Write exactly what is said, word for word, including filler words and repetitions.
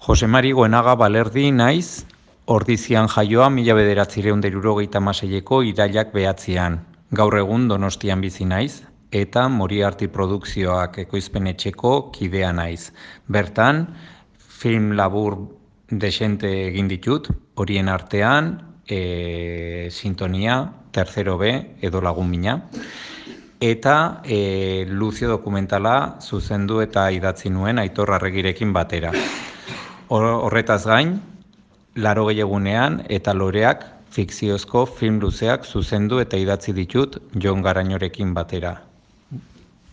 Jose Mari Goenaga Balerdi naiz, Ordizian jaioa mila bederatziehun eta hirurogeita hamaseiko irailak behatzian. Gaur egun Donostian bizi naiz, eta Moriarty Produkzioak ekoizpen etxeko kidea naiz. Bertan, film labur desente egin ditut, horien artean, e, Sintonia, Tercero B, edo Lagun Mina, eta e, Lucio dokumentala zuzendu eta idatzi nuen Aitor Arregirekin batera. Horretaz gain, Laurogei egunean eta Loreak fikziozko film luzeak zuzendu eta idatzi ditut Jon Garañorekin batera.